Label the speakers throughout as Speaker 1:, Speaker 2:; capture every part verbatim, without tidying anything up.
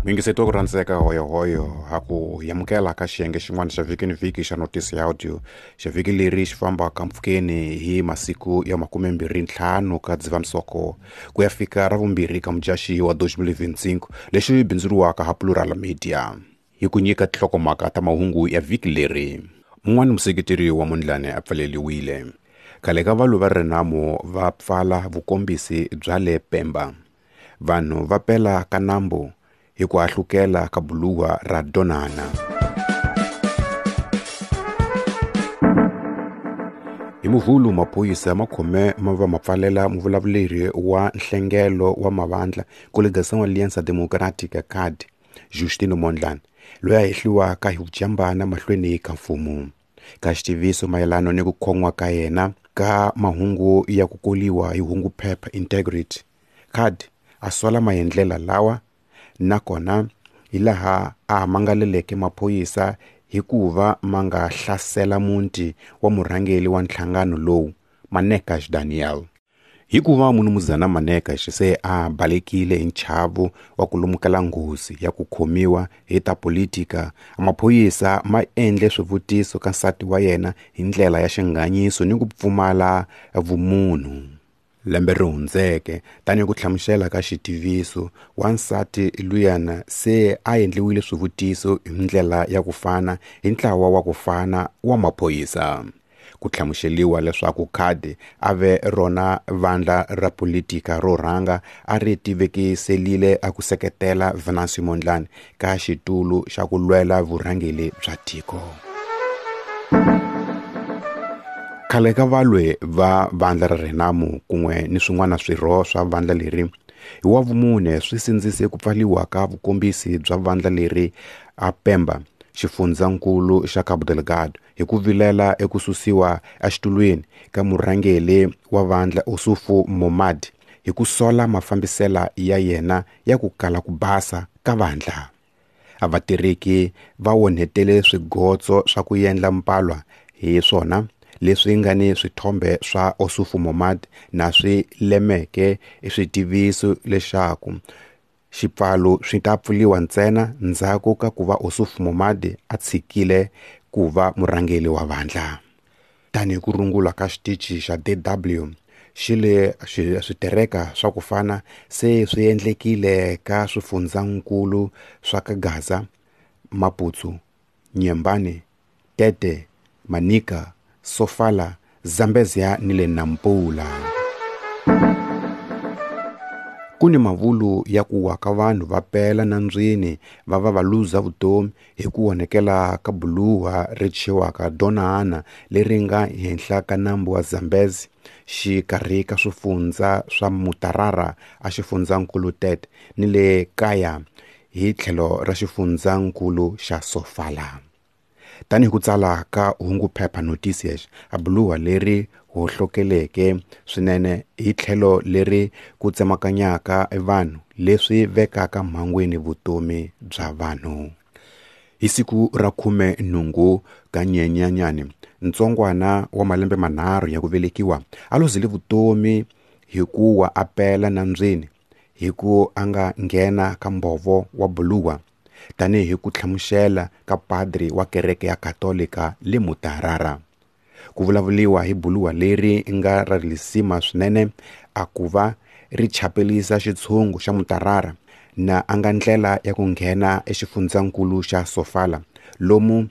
Speaker 1: Mingiseto ku rhandzeka hoyohoyo ha ku yamukela ka xiyenge xin'wana xa vhiki ni vhiki xa Notisi ya Audio. Xa vhiki leri xi fambaka mpfhukeni hi masiku ya makume mbirhi ntlhanu ka Dzivamisoko ku ya fika ra vumbirhi ka Mudyaxihi wa twenty twenty-five lexi bindzuriwaka ha Plural Media. Hi ku nyika tinhlokomhaka ta mahungu ya vhiki leri. Mun'wana museketeri wa Mondlane a pfaleliwile. Khale ka valwi va Renamo va pfala vukombisi bya le Pemba. Vanhu va pela ka nambu hi ku hahlukela ka buluwa ra Donana. Hi Muvhulu maphorisa ma khome ma va ma pfalela muvulavuleri wa nhlengelo wa mavandla Coligação Aliança Democrática C A D Justino Mondlane loyi a hehliwaka hi vujambana mahlweni ka mfumo. Ka xitiviso mayelana ni ku khon'wa ka yena ka mahungu ya ku koliwa hi hungu phepha Integrity, C A D a sola maendlela lawa nakona hi laha a mangaleleke maphorisa hikuva ma nga hlasela muti wa murhangeri wa nhlangano lowu Manekash Daniel. Hikuva munumuzana Manekash se a balekile hi nchavo wa ku lumukela nghozi ya ku khomiwa hi ta politika, maphorisa ma endle swivutiso ka nsati wa yena hi ndlela ya xinganyiso ni ku pfumala vumunhu. Lembe ri hundzeke tanihi ku hlamusela ka xitiviso, wansati luyana se a endliwile swivutiso hi ndlela ya ku fana hi ntlawa wa ku fana wa maphorisa. Ku hlamuseliwa leswaku C A D a ve rona vandla ra politika ro rhanga a ri tivekiselile a ku seketela Venancio Mondlane ka xitulu xa ku lwela vurhangeri bya tiko. Khale ka valwi va vandla ra Renamo kun'we ni swin'wana swirho swa vandla leri hi wa vumune swi sindzise ku pfaliwa ka vukombisi bya vandla leri a Pemba xifundzankulu xa Cabo Delgado hi ku vilela eku susiwa exitulwini ka murhangeri wa vandla Ossufo Momad hi ku sola mafambisela ya yena ya ku kala ku basa ka vandla. A vatirheki va onhetele swigotso swa ku endla mpalwa hi swona leswi nga ni swithombe swa Ossufo Momad na swi lemeke switiviso leswaku xipfalo swi ta pfuriwa ntsena ndzhaku ka ku va Ossufo Momad a tshikile ku va murhangeri wa vandla. Tanihi ku rungula ka xitichi xa D W xi le switereka swa ku fana se swi endlekile ka swifundzankulu swa ka Gaza, Maputo, Nyembane, Tete, Manica, Sofala, Zambezia ni le Nampula. Ku ni mavulu ya ku wa ka vanhu va pela nandzwini va va va luza vutomi hi ku onhekela ka buluwa ri thyiwaka Donana leri nga henhla ka nambu wa Zambezi xikarhi ka swifundza swa Mutarara a xifundzankulu Tete ni le kaya hi tlhelo ra xifundzankulu xa Sofala. Tanihi ku tsala ka hungu phepha Noticias, a buluwa leri hohlokeleke swinene hi tlhelo leri ku tsemakanyaka vanhu leswi vekaka mhangwini vutomi bya vanhu. Hi siku ra khume nhungu ka Nyenyanyani, ntsongwana wa malembe manharhu ya ku velekiwa a luzile vutomi hi ku wa a pela nandzwini hi ku a nga nghena ka mbhovo wa buluwa tanihi ku hlamusela ka padri wa kereke ya Katolika le Mutarara. Ku vulavuriwa hi buluwa leri nga ra risima swinene a ku va ri chapelisa xitshungu xa Mutarara na a nga ndlela ya ku nghena exifundzankulu xa Sofala lomu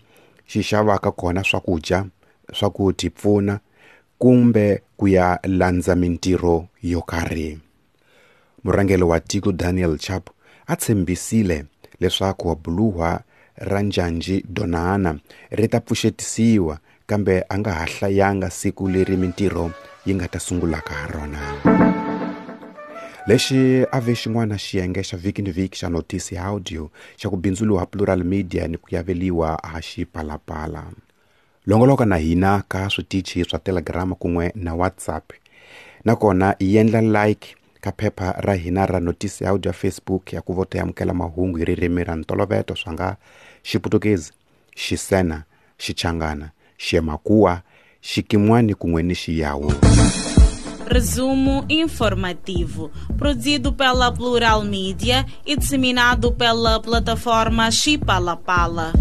Speaker 1: xi xavaka kona swakudya swa ku tipfuna kumbe ku ya landza mintirho yo karhi. Murhangeri wa tiko Daniel Chapo a tshembisile leswaku buluwa ra Njanji Donana ri ta pfuxetisiwa kambe a nga ha hlayanga siku leri mintirho yi nga ta sungulaka ha rona. Lexi a ve xin'wana xiyenge xa vhiki ni vhiki xa Notisi ya Audio xa ku bindzuriwa Plural Media ni ku yaveliwa ha Xipalapala. Longoloka na hina ka switichi swa Telegram kun'we na WhatsApp. Nakona yendla like ka phepha ra hina ra Notisi ya Audio Facebook ya ku vota amukela mahungu hi ririmi ra ntolovelo swa nga Xiputukezi, Xisena, Xichangana, Xiemakua, Xikimwani kun'we ni Xiyawu.
Speaker 2: Resumo informativo, produzido pela Plural Mídia e disseminado pela plataforma Chipalapala.